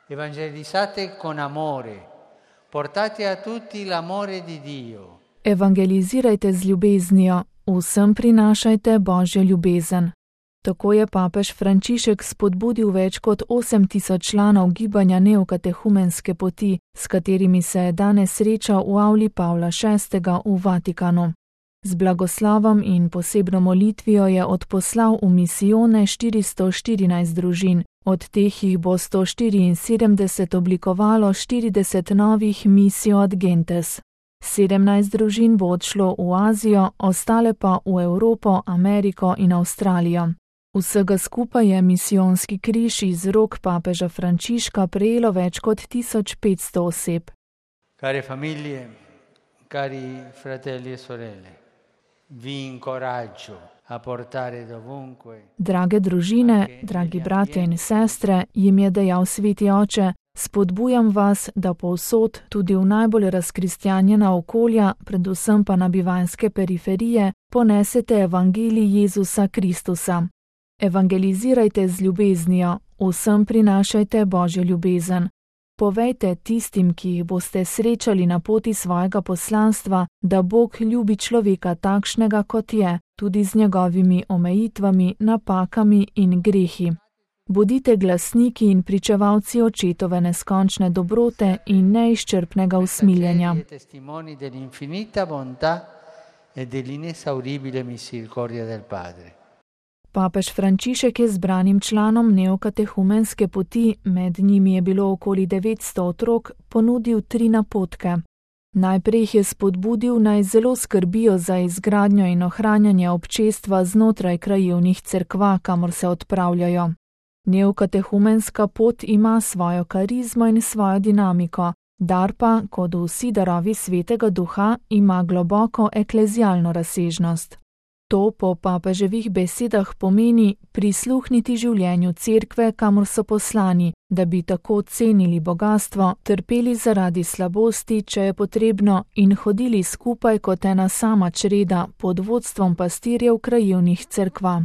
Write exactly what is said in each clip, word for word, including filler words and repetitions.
Evangelizzate con amore, portate a tutti l'amore di Dio. Evangelizirajte z ljubeznijo, vsem prinašajte Božjo ljubezen. Tako je papež Frančišek spodbudil več kot osem tisoč članov gibanja Neokatehumenske poti, s katerimi se je danes srečal v avli Pavla šestega v Vatikanu. Z blagoslovom in posebno molitvijo je odposlal v misijone štiristo štirinajst družin, od teh jih bo sto štiriinsedemdeset oblikovalo štirideset novih missio ad gentes. sedemnajst družin bo odšlo v Azijo, ostale pa v Evropo, Ameriko in Avstralijo. Vsega skupaj je misijonski križ iz rok papeža Frančiška prejelo več kot tisoč petsto oseb. Care famiglie, cari fratelli e sorelle, vi incoraggio a portare dovunque. Drage družine, dragi bratje in sestre, jim je dejal sveti oče, spodbujam vas, da povsod, tudi v najbolj razkristjanjena okolja, predvsem pa na bivanjske periferije, ponesete evangelij Jezusa Kristusa. Evangelizirajte z ljubeznijo, vsem prinašajte Božjo ljubezen. Povejte tistim, ki jih boste srečali na poti svojega poslanstva, da Bog ljubi človeka takšnega, kot je, tudi z njegovimi omejitvami, napakami in grehi. Bodite glasniki in pričevalci očetove neskončne dobrote in neizčrpnega usmiljenja. Papež Frančišek je zbranim članom Neokatehumenske poti, med njimi je bilo okoli devetsto otrok, ponudil tri napotke. Najprej jih je spodbudil, naj zelo skrbijo za izgradnjo in ohranjanje občestva znotraj krajevnih cerkva, kamor se odpravljajo. Neokatehumenska pot ima svojo karizmo in svojo dinamiko, dar pa, kot vsi darovi svetega duha, ima globoko eklezialno razsežnost. To po papeževih besedah pomeni prisluhniti življenju cerkve, kamor so poslani, da bi tako cenili bogastvo, trpeli zaradi slabosti, če je potrebno, in hodili skupaj kot ena sama čreda pod vodstvom pastirjev krajevnih cerkva.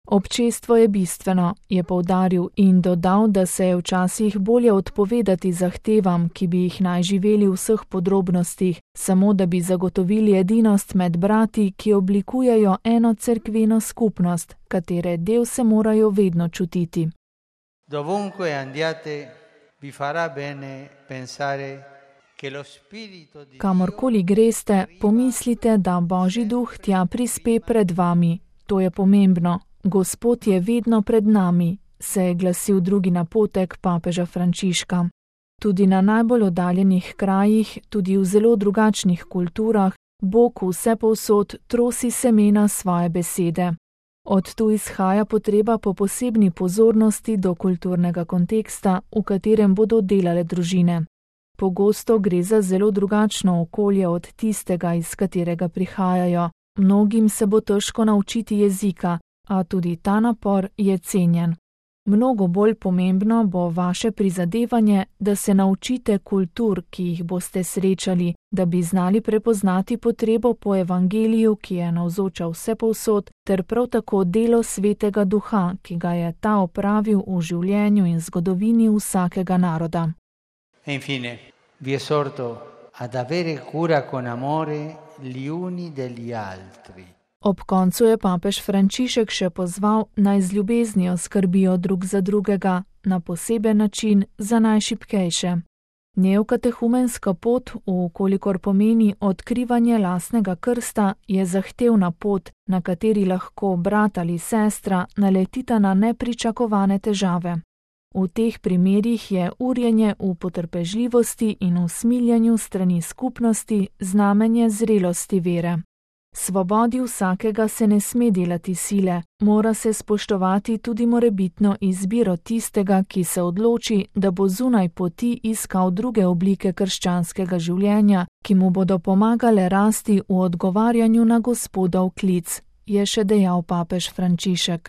Občestvo je bistveno, je poudaril in dodal, da se je včasih bolje odpovedati zahtevam, ki bi jih naj živeli v vseh podrobnostih, samo da bi zagotovili edinost med brati, ki oblikujejo eno cerkveno skupnost, katere del se morajo vedno čutiti. Dovunque andiate, vi farà bene pensare che lo spirito di Kamorkoli greste, pomislite, da Božji duh tja prispe pred vami. To je pomembno. Gospod je vedno pred nami, se je glasil drugi napotek papeža Frančiška. Tudi na najbolj oddaljenih krajih, tudi v zelo drugačnih kulturah, Bog vsepovsod trosi semena svoje besede. Od tu izhaja potreba po posebni pozornosti do kulturnega konteksta, v katerem bodo delale družine. Pogosto gre za zelo drugačno okolje od tistega, iz katerega prihajajo. Mnogim se bo težko naučiti jezika, a tudi ta napor je cenjen. Mnogo bolj pomembno bo vaše prizadevanje, da se naučite kultur, ki jih boste srečali, da bi znali prepoznati potrebo po evangeliju, ki je navzoča vsepovsod, ter prav tako delo svetega duha, ki ga je ta opravil v življenju in zgodovini vsakega naroda. E infine, vi esorto ad avere cura con amore gli uni degli altri. Ob koncu je papež Frančišek še pozval, naj z ljubeznijo skrbijo drug za drugega, na poseben način za najšibkejše. Neokatehumenska pot, vkolikor pomeni odkrivanje lastnega krsta, je zahtevna pot, na kateri lahko brat ali sestra naletita na nepričakovane težave. V teh primerih je urjenje v potrpežljivosti in usmiljanju strani skupnosti znamenje zrelosti vere. Svobodi vsakega se ne sme delati sile, mora se spoštovati tudi morebitno izbiro tistega, ki se odloči, da bo zunaj poti iskal druge oblike krščanskega življenja, ki mu bodo pomagale rasti v odgovarjanju na Gospodov klic, je še dejal papež Frančišek.